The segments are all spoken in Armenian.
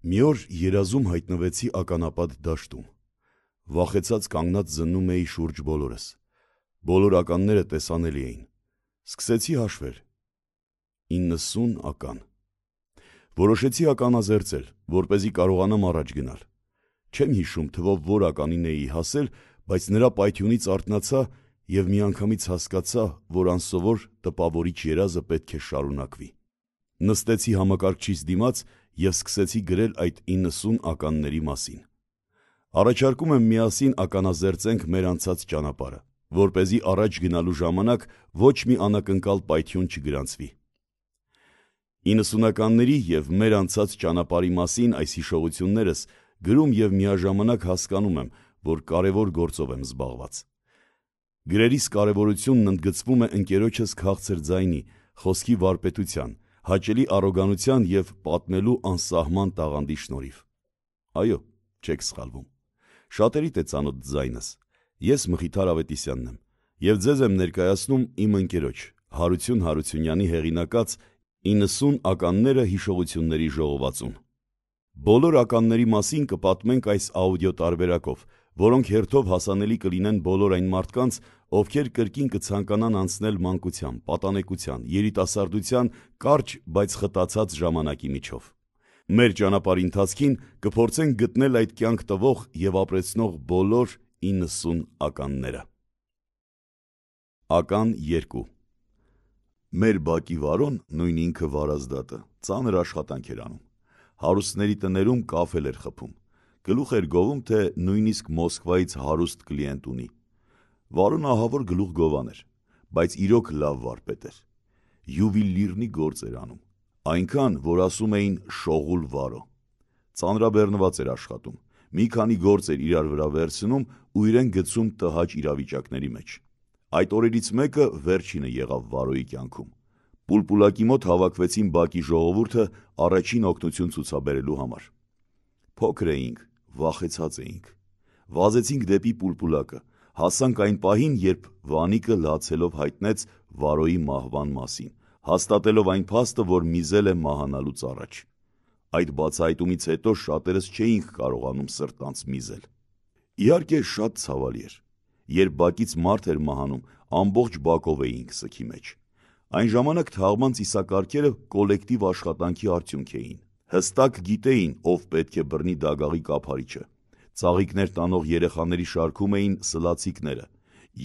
Մի օր երազում հայտնվեցի ականապատ դաշտում, վախեցած կանգնած զննում էի շուրջ բոլորս, բոլոր ականները տեսանելի էին, սկսեցի հաշվել, 90 ական, որոշեցի ականազերծել, որպեսզի կարողանամ առաջ գնալ, չեմ հիշում թվով որ ականին էի հասել, բայց նրա պայթյունից արթնացա և միանգամից հասկացա, որ անսովոր տպավորիչ երազը պետք է շարունակվի, նստեցի համակարգչիս դիմաց և սկսեցի գրել այդ 90 ականների մասին, առաջարկում եմ միասին ականազերծենք մեր անցած ճանապարհը, որպեսզի առաջ գնալու ժամանակ ոչ մի անակնկալ պայթյուն չգրանցվի, 90-ականների և մեր անցած ճանապարհի մասին այս հիշողություններս գրում և միաժամանակ հասկանում եմ, որ կարևոր գործով եմ զբաղված, գրերիս կարևորությունն ընդգծվում է ընկերոջս քաղցր ձայնի, խոսքի վարպետության, հաճելի առոգանության և պատմելու անսահման տաղանդի շնորհիվ, այո, չեք սխալվում, շատերիդ է ծանոթ ձայնս, ես Մխիթար Ավետիսյանն եմ և ձեզ եմ ներկայացնում իմ ընկերոջ Հարություն Հարությունյանի հեղինակած 90 ականները հիշողությունների ժողովածուն, բոլոր ականների մասին կպատմենք այս աուդիո տարբերակով, որոնք հերթով հասանելի կլինեն բոլոր այն մարդկանց, ովքեր կրկին կցանկանան անցնել մանկության, պատանեկության, երիտասարդության կարճ, բայց խտացած ժամանակի միջով, մեր ճանապարհի ընթացքին կփորձենք գտնել այդ կյանք տվող և ապրեցնող բոլոր 90 ականները, Ական 2 Մեր բակի Վարոն, նույն ինքը Վարազդատը, ծանր աշխատանք էր անում, հարուստների տներում կաֆել էր խփում, գլուխ էր գովում, թե նույնիսկ Մոսկվայից հարուստ կլիենտ ունի, Վարոն ահավոր գլուխ գովան էր, բայց իրոք լավ վարպետ էր, յուվիլիրնի գործ էր անում, այնքան, որ ասում էին շողուլ Վարո, ծանրաբեռնված էր աշխատում, մի քանի գործ էր իրար վրա վերցնում ու իրեն գցում տհաճ իրավիճակների մեջ, այդ օրերից մեկը վերջինը եղավ Վարոյի կյանքում, Պուլպուլակի մոտ հավաքվեցին բակի ժողովուրդը առաջին օգնություն ցուցաբերելու համար, փոքր էինք, վախեցած էինք, վազեցինք դեպի Պուլպուլակը, հասանք այն պահին, երբ Վանիկը լացելով հայտնեց Վարոյի մահվան մասին, հաստատելով այն փաստը, որ միզել է մահանալուց առաջ, այդ բացահայտումից հետո շատերս չէինք կարողանում սրտանց միզել, իհարկե շատ ցավալի էր, երբ բակից մարդ էր մահանում, ամբողջ բակով էինք սգի մեջ, այն ժամանակ թաղման ծիսակարգերը կոլեկտիվ աշխատանքի արդյունք էին, հստակ գիտեին, ով պետք է բռնի դագաղի կափարիչը, ծաղիկներ տանող երեխաների շարքում էին սլացիկները,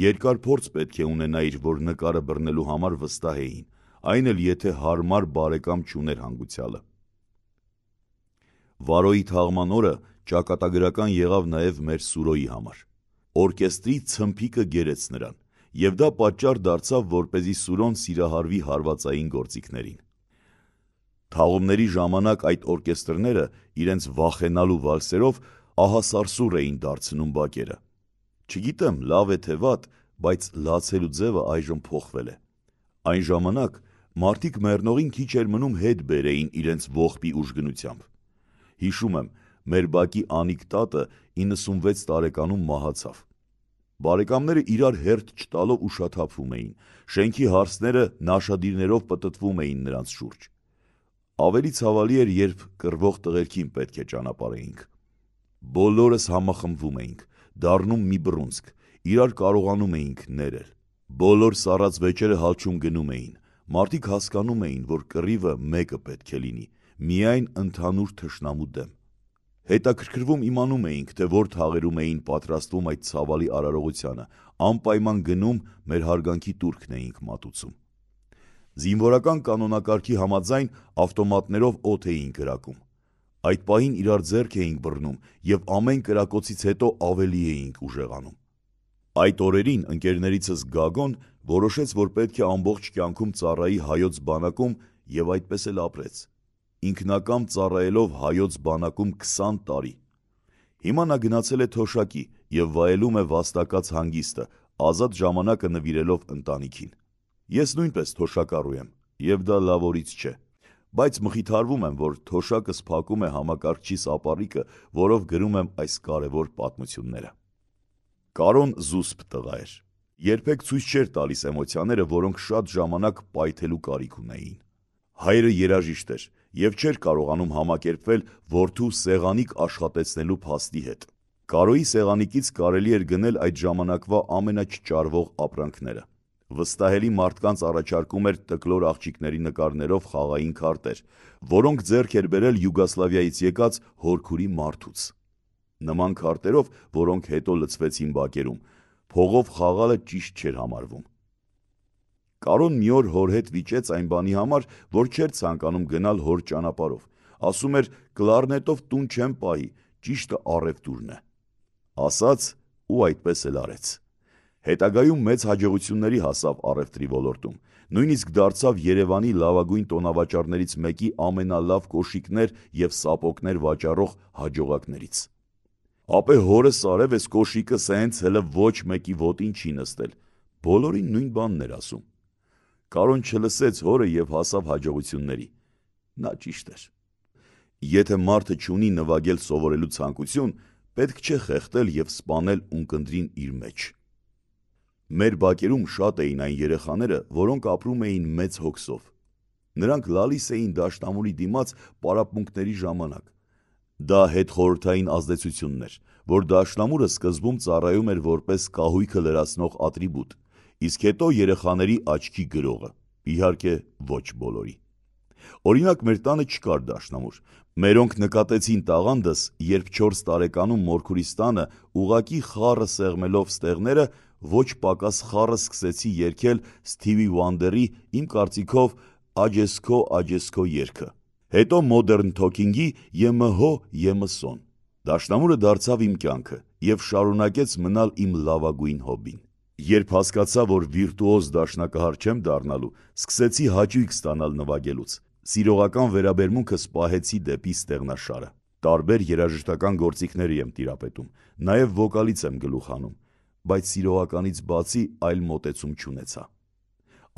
երկար փորձ պետք է ունենայիր, որ նկարը բռնելու համար վստահ էին, այն էլ եթե հարմար բարեկամ չուներ հանգուցյալը, Վարոյի թաղման օրը ճակատագրական եղավ նաև մեր Սուրոյի համար, օրկեստրի ցմփիկը գերեց նրան, և դա պատճառ դարձավ, որպեսզի Սուրոն սիրահարվի հարվածային գործիքներին, թաղումների ժամանակ այդ օրկեստրները իրենց վախենալու վալսերով ահասարսուռ էին դարձնում բակերը, չգիտեմ լավ է թե վատ, բայց լացելու ձևը այժմ փոխվել է, այն ժամանակ մարդիկ մեռնողին քիչ էր մնում հետ բերեին իրենց ողբի ուժգնությամբ, հիշում եմ, մեր բակի Անիկ տատը 96 տարեկանում մահացավ, բարեկամները իրար հերթ չտալով ուշաթափվում էին, շենքի հարսները նաշադիրներով պտտվում էին նրանց շուրջ, ավելի ցավալի էր, երբ կռվող տղերքին պետք է ճանապարհեինք, բոլորս համախմբվում էինք, դառնում մի բռունցք, իրար կարողանում էինք ներել, բոլոր սառած վեճերը հալչում գնում էին, մարդիկ հասկանում էին, որ կռիվը մեկը պետք է լինի, միայն ընդհանուր թշնամու դեմ, հետաքրքրվում իմանում էինք, թե որ թաղերում էին պատրաստվում այդ ցավալի արարողությանը, անպայման գնում մեր հարգանքի տուրքն էինք մատուցում, զինվորական կանոնակարգի համաձայն ավտոմատներով օդ էինք կրակում, այդ պահին իրար ձեռք էինք բռնում և ամեն կրակոցից հետո ավելի էինք ուժեղանում, այդ օրերին ընկերներիցս Գագոն որոշեց, որ պետք է ամբողջ կյանքում ծառայի հայոց բանակում և այդպես էլ ապրեց, ինքնակամ ծառայելով հայոց բանակում 20 տարի, հիմա նա գնացել է թոշակի և վայելում է վաստակած հանգիստը, ազատ ժամանակը նվիրելով ընտանիքին, ես նույնպես թոշակառու եմ և դա լավորից չէ, բայց մխիթարվում եմ, որ թոշակս փակում է համակարգչիս ապառիկը, որով գրում եմ այս կարևոր պատմությունները, Կարոն զուսպ տղա էր, երբեք ցույց չէր տալիս էմոցիաները, որոնք շատ ժամանակ պայթելու կարիք ունեին, հայրը երաժիշտ էր եւ չէր կարողանում համակերպվել որդու սեղանիկ աշխատեցնելու փաստի հետ։ Կարոյի սեղանիկից կարելի էր գնել այդ ժամանակվա ամենաչճարվող ապրանքները։ Վստահելի մարդկանց առաջարկում էր տկլոր աղջիկների նկարներով խաղային քարտեր, որոնք ձեռք էր բերել Յուգոսլավիայից եկած հորքուրի մարդուց։ Նման քարտերով, որոնք հետո լցվեցին բակերում, փողով խաղալը ճիշտ չէր համարվում։ Կարոն մի օր հոր հետ վիճեց այն բանի համար, որ չէր ցանկանում գնալ հոր ճանապարհով, ասում էր կլարնետով տուն չեմ պահի, ճիշտը առևտուրն է։ Ասաց ու այդպես էլ արեց։ Հետագայում մեծ հաջողությունների հասավ առևտրի ոլորտում, նույնիսկ դարձավ Երևանի լավագույն տոնավաճառներից մեկի ամենալավ կոշիկներ և սապոգներ վաճառող հաջողակներից։ Ապե հորս արև էս կոշիկը սենց հլը ոչ մեկի ոտին չի նստել, բոլորին նույն բանն էր ասում։ Կարոն չլսեց հորը և հասավ հաջողությունների։ Նա ճիշտ էր։ Եթե մարդը չունի նվագել սովորելու ցանկություն, պետք չէ խեղդել և սպանել ունկնդրին իր մեջ։ Մեր բակերում շատ էին այն երեխաները, որոնք ապրում էին մեծ հոգսով։ Նրանք լալիս էին դաշնամուրի դիմաց պարապմունքների ժամանակ։ Դա հետխորհրդային ազդեցությունն էր, որ դաշնամուրը սկզբում ծառայում էր որպես կահույքը լրացնող ատրիբուտ, իսկ հետո երեխաների աչքի գրողը, իհարկե ոչ բոլորի։ Օրինակ մեր տանը չկար դաշնամուր։ Մերոնք նկատեցին տաղանդս, երբ 4 տարեկանում մորքուրիս տանը ուղակի խառը սեղմելով ստեղները, ոչ պակաս խառը սկսեցի երգել Սթիվի Վանդերի, իմ կարծիքով, Աջեսքո երգը, հետո Modern Talking-ի ԵՄՀ ԵՄՍ-ոն։ Դաշնամուրը դարձավ իմ կյանքը և շարունակեց մնալ իմ լավագույն հոբբին։ Երբ հասկացա, որ վիրտուոզ դաշնակահար չեմ դառնալու, սկսեցի հաճույք ստանալ նվագելուց։ Սիրողական վերաբերմունքս պահեցի դեպի ստեղնաշարը։ Տարբեր երաժշտական գործիքներ եմ տիրապետում, նաև վոկալից եմ գլուխ հանում, բայց սիրողականից բացի այլ մոտեցում չունեցա։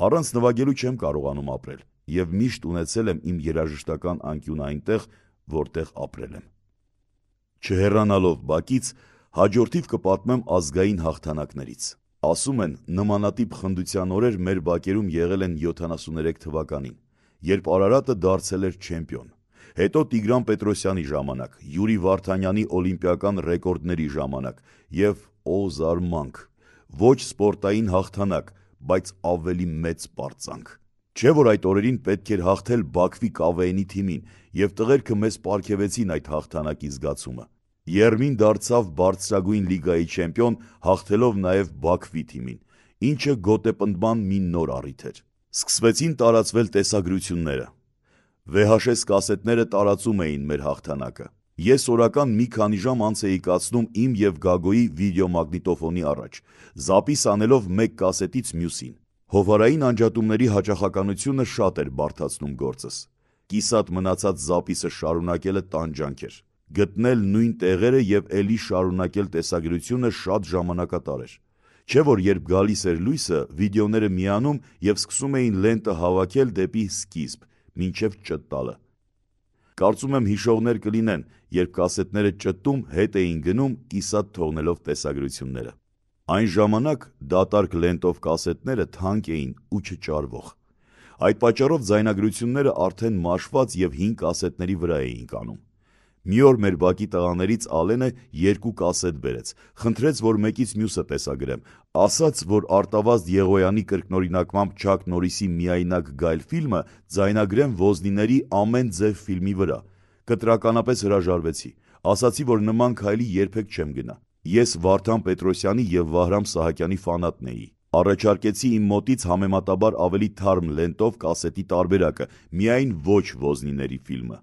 Առանց նվագելու չեմ կարողանում ապրել և միշտ ունեցել եմ իմ երաժշտական անկյունը այնտեղ, որտեղ ապրել եմ։ Չհեռանալով բակից, հաջորդիվ կպատմեմ ազգային հաղթանակներից։ Ասում են, նմանատիպ խնդության օրեր մեր բակերում եղել են 73 թվականին, երբ Արարատը դարձել էր չեմպիոն, հետո Տիգրան Պետրոսյանի ժամանակ, Յուրի Վարդանյանի օլիմպիական ռեկորդների ժամանակ և օ զարմանք, ոչ սպորտային հաղթանակ, բայց ավելի մեծ պարծանք։ Չէ՞ որ այդ օրերին պետք էր հաղթել Բաքվի ԿՎՆ-ի թիմին, և տղերքը մեզ պարգևեցին այդ հաղթանակի զգացումը։ Եռմին դարձավ բարձրագույն լիգայի չեմպիոն, հաղթելով նաև Բաքվի թիմին, ինչը գոտեպնդման մի նոր առիթ էր։ Սկսվեցին տարածվել տեսագրությունները։ VHS կասետները տարածում էին մեր հաղթանակը։ Ես օրական մի քանի ժամ անց էի կացնում իմ և Գագոյի վիդեոմագնիտոֆոնի առաջ, զապիս անելով մեկ կասետից մյուսին։ Հովհարային անջատումների հաճախականությունը շատ էր բարդացնում գործս։ Կիսատ մնացած զապիսը շարունակելը տանջանք էր։ Գտնել նույն տեղերը և էլի շարունակել տեսագրությունը շատ ժամանակատար էր։ Չէ՞ որ երբ գալիս էր լույսը, վիդեոները միանում և սկսում էին լենտը հավաքել դեպի սկիզբ, մինչև ճտտալը։ Կարծում եմ հիշողներ կլինեն, երբ կասետները ճտտում հետ էին գնում, կիսատ թողնելով տեսագրությունները։ Այն ժամանակ դատարկ լենտով կասետները թանկ էին ու չճարվող։ Այդ պատճառով ձայնագրությունները արդեն մաշված և հին կասետների վրա էին կանում։ Մի օր մեր բակի տղաներից Ալենը 2 կասետ բերեց, խնդրեց, որ մեկից մյուսը տեսագրեմ, ասաց, որ Արտավազդ Եղոյանի կրկնօրինակմամբ Չակ Նորրիսի «Միայնակ Գայլ» ֆիլմը ձայնագրեմ Ոզնիների «Ամեն ձև» ֆիլմի վրա։ Կտրականապես հրաժարվեցի, ասացի, որ նման քայլի երբեք չեմ գնա։ Ես Վարդան Պետրոսյանի և Վահրամ Սահակյանի ֆանատն էի։ Առաջարկեցի իմ մոտից համեմատաբար ավելի թարմ լենտով կասետի տարբերակը, միայն ոչ Ոզնիների ֆիլմը։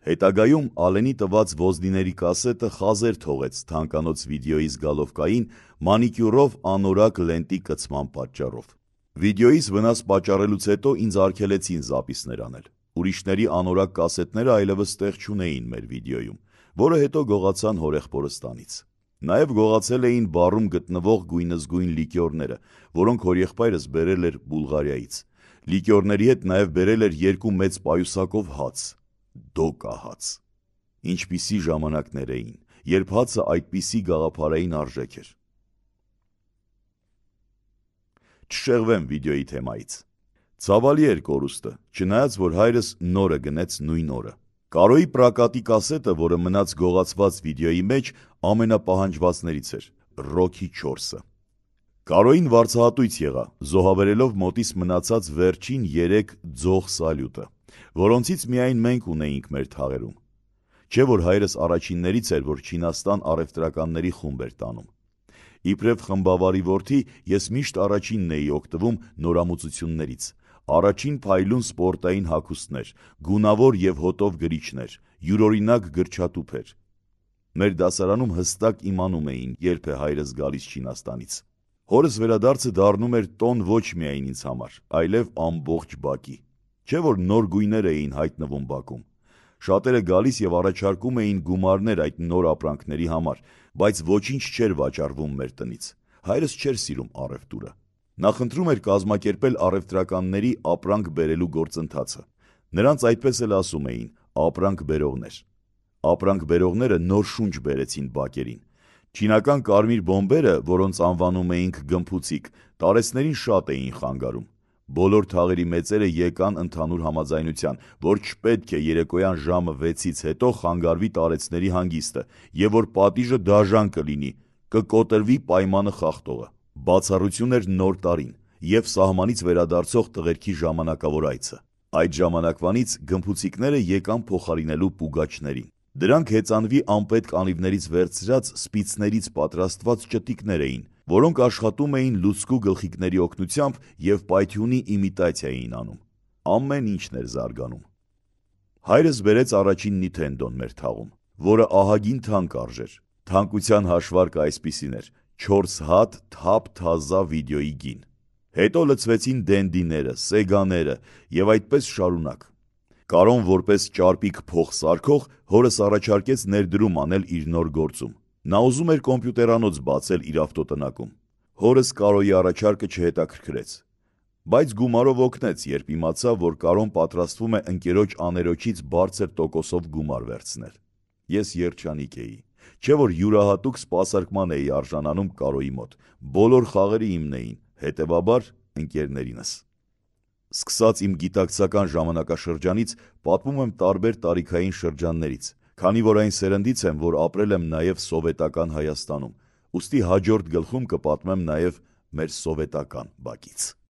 Հետագայում Ալենի տված Ոզնիների կասետը խազեր թողեց թանկանոց վիդեոյի զգալովկային մանիկյուրով անորակ լենտի կցման պատճառով։ Վիդեոյից վնաս պատճառելուց հետո ինձ արգելեցին զապիսներ անել։ Ուրիշների անորակ կասետները այլևս տեղ չունեին մեր վիդեոյում, որը հետո գողացան հորեղբորստանից։ Նաև գողացել էին բարում գտնվող գույնզգույն լիկյորները, որոնք հորեղբայրս բերել էր Բուլղարիայից։ Լիկյորների հետ նաև բերել էր 2 մեծ պայուսակով հաց։ Դոկա հաց։ Ինչպիսի ժամանակներ էին, երբ հացը այդպիսի գաղափարային արժեք էր։ Չշեղվեմ վիդեոյի թեմայից։ Ցավալի էր կորուստը, չնայած որ հայրս նորը գնեց նույն օրը։ Կարոյի պրակատի կասետը, որը մնաց գողացված վիդեոյի մեջ, ամենապահանջվածներից էր՝ Rocky 4-ը։ Կարոյին վարձահատույց եղա, զոհաբերելով մոտիս մնացած վերջին 3 ձող սալյուտը, որոնցից միայն մենք ունեինք մեր թաղերում։ Չէ որ հայրս առաջիններից էր, որ Չինաստան առևտրականների խումբ էր տանում։ Իբրև խմբավարի որդի ես միշտ առաջինն էի օգտվում նորամուծություններից։ Առաջին փայլուն սպորտային հագուստներ, գունավոր և հոտով գրիչներ, յուրօրինակ գրչատուփեր։ Մեր դասարանում հստակ իմանում էին, երբ է հայրս գալիս Չինաստանից։ Հորս վերադարձը դառնում էր տոն ոչ միայն ինձ համար, այլև ամբողջ բակի։ Չէ որ նոր գույներ էին հայտնվում բակում։ Շատերը գալիս և առաջարկում էին գումարներ այդ նոր ապրանքների համար, բայց ոչինչ չէր վաճառվում մեր տնից։ Հայրս չէր սիրում առևտուրը։ Նա խնդրում էր կազմակերպել առևտրականների ապրանք բերելու գործընթացը։ Նրանց այդպես էլ ասում էին՝ ապրանք բերողներ։ Ապրանք բերողները նոր շունչ բերեցին բակերին։ Չինական կարմիր բոմբերը, որոնց անվանում էինք գմփուցիկ, տարեցներին շատ էին խանգարում։ Բոլոր թաղերի մեծերը եկան ընդհանուր համաձայնության, որ չպետք է երեկոյան ժամը 6-ից հետո խանգարվի տարեցների հանգիստը և որ պատիժը դաժան կլինի, կկոտրվի պայմանը խախտողը։ Բացառություն էր Նոր տարին և սահմանից վերադարձող տղերքի ժամանակավոր այցը։ Այդ ժամանակվանից գմփուցիկները եկան փոխարինելու պուգաչներին։ Դրանք հեծանվի անպետք անիվներից վերցրած սպիցներից պատրաստված ճտիկներ էին, որոնք աշխատում էին լուցկու գլխիկների օգնությամբ և պայթյունի իմիտացիա էին անում։ Ամեն ինչն էր զարգանում։ Հայրս բերեց առաջին Nintendo-ն մեր թաղում, որը ահագին թանկ արժեր։ Թանկության հաշվարկը այսպիսին էր՝ 4 հատ թափ թազա վիդեոյի գին։ Հետո լցվեցին Dendy-ները, Sega-ները և այդպես շարունակ։ Կարոն որպես ճարպիկ փոխսարքող հորս առաջարկեց ներդրում անել իր նոր գործում։ Նա ուզում էր կոմպյուտերանոց բացել իր ավտոտնակում։ Հորս Կարոյի առաջարկը չհետաքրքրեց, բայց գումարով օգնեց, երբ իմացավ, որ Կարոն պատրաստվում է ընկերոջ աներոջից բարձր տոկոսով գումար վերցնել։ Ես երջանիկ էի։ Չէ որ յուրահատուկ սպասարկման էի արժանանում Կարոյի մոտ։ Բոլոր խաղերը իմն էին, հետևաբար ընկերներինս։ Սկսած իմ գիտակցական ժամանակաշրջանից պատմում եմ տարբեր տարիքային շրջաններից, քանի որ այն սերնդից եմ, որ ապրել եմ նաև սովետական Հայաստանում, ուստի հաջորդ գլխում կպատմեմ նաև մեր սովետական բակից։